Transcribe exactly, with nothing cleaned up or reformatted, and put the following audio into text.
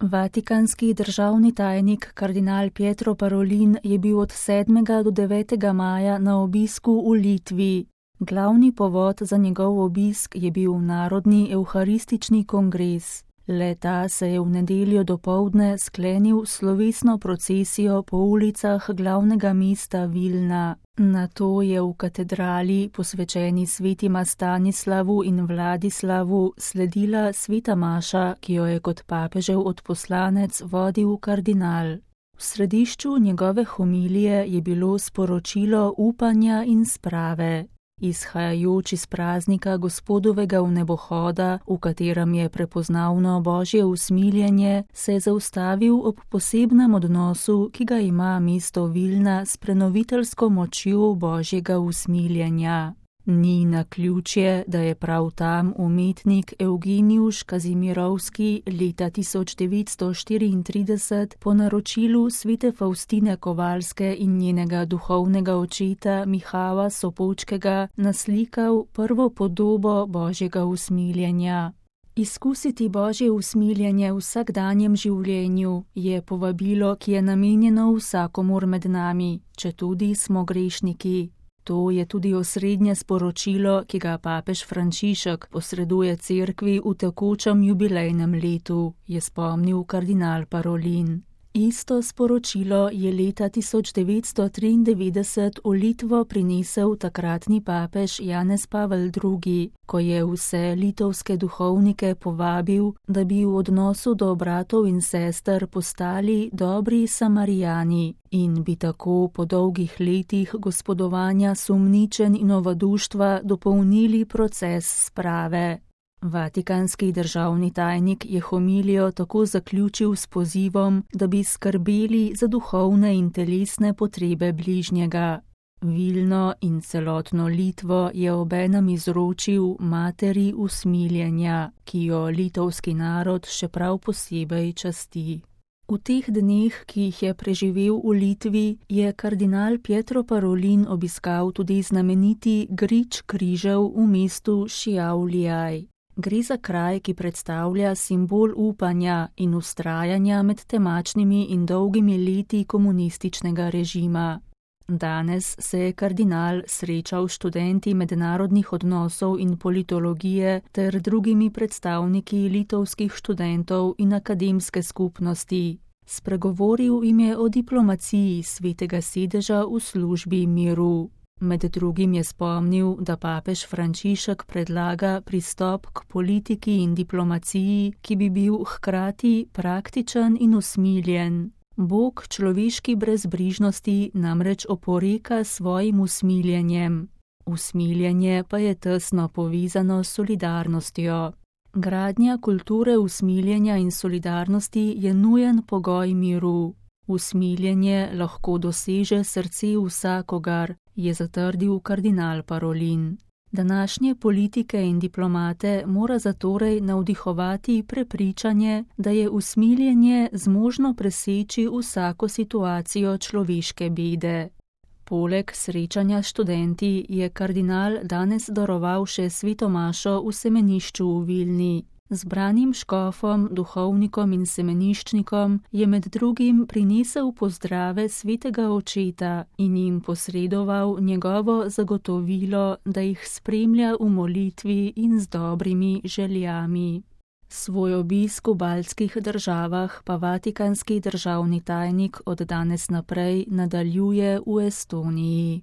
Vatikanski državni tajnik kardinal Pietro Parolin je bil od sedmega do devetega maja na obisku v Litvi. Glavni povod za njegov obisk je bil Narodni evharistični kongres. Le-ta se je v nedeljo dopoldne sklenil slovesno procesijo po ulicah glavnega mesta Vilna. Nato je v katedrali, posvečeni svetima Stanislavu in Vladislavu, sledila sveta maša, ki jo je kot papežev odposlanec vodil kardinal. V središču njegove homilije je bilo sporočilo upanja in sprave. Izhajajoč iz praznika Gospodovega vnebohoda, v katerem je prepoznavno Božje usmiljenje, se je zaustavil ob posebnem odnosu, ki ga ima mesto Vilna s prenoviteljsko močjo Božjega usmiljenja. Ni naključje, da je prav tam umetnik Evgenijuš Kazimirovski leta tisoč devetsto štiriintrideset po naročilu svete Faustine Kovalske in njenega duhovnega očeta Mihava Sopočkega naslikal prvo podobo Božjega usmiljenja. Izkusiti Božje usmiljenje v vsakdanjem življenju je povabilo, ki je namenjeno vsakomur med nami, četudi smo grešniki. To je tudi osrednje sporočilo, ki ga papež Frančišek posreduje cerkvi v tekočem jubilejnem letu, je spomnil kardinal Parolin. Isto sporočilo je leta tisoč devetsto triindevetdeset v Litvo prinesel takratni papež Janez Pavel drugi, ko je vse litovske duhovnike povabil, da bi v odnosu do bratov in sester postali dobri Samarijani in bi tako po dolgih letih gospodovanja sumničenj in ovaduštva dopolnili proces sprave. Vatikanski državni tajnik je homilijo tako zaključil s pozivom, da bi skrbeli za duhovne in telesne potrebe bližnjega. Vilno in celotno Litvo je obenem izročil materi usmiljenja, ki jo litovski narod še prav posebej časti. V teh dneh, ki jih je preživel v Litvi, je kardinal Pietro Parolin obiskal tudi znameniti grič križev v mestu Šiauliai. Gre za kraj, ki predstavlja simbol upanja in vztrajanja med temačnimi in dolgimi leti komunističnega režima. Danes se je kardinal srečal s študenti mednarodnih odnosov in politologije ter drugimi predstavniki litovskih študentov in akademske skupnosti. Spregovoril jim je o diplomaciji svetega sedeža v službi miru. Med drugim je spomnil, da papež Frančišek predlaga pristop k politiki in diplomaciji, ki bi bil hkrati praktičen in usmiljen. Bog človeški brezbrižnosti namreč oporeka svojim usmiljenjem. Usmiljenje pa je tesno povezano s solidarnostjo. Gradnja kulture usmiljenja in solidarnosti je nujen pogoj miru. Usmiljenje lahko doseže srce vsakogar, je zatrdil kardinal Parolin. Današnje politike in diplomate mora zatorej navdihovati prepričanje, da je usmiljenje zmožno preseči vsako situacijo človeške bede. Poleg srečanja s študenti je kardinal danes daroval še sveto mašo v semenišču v Vilni. Zbranim škofom, duhovnikom in semeniščnikom je med drugim prinesel pozdrave svetega očeta in jim posredoval njegovo zagotovilo, da jih spremlja v molitvi in z dobrimi željami. Svoj obisk v baltskih državah pa vatikanski državni tajnik od danes naprej nadaljuje v Estoniji.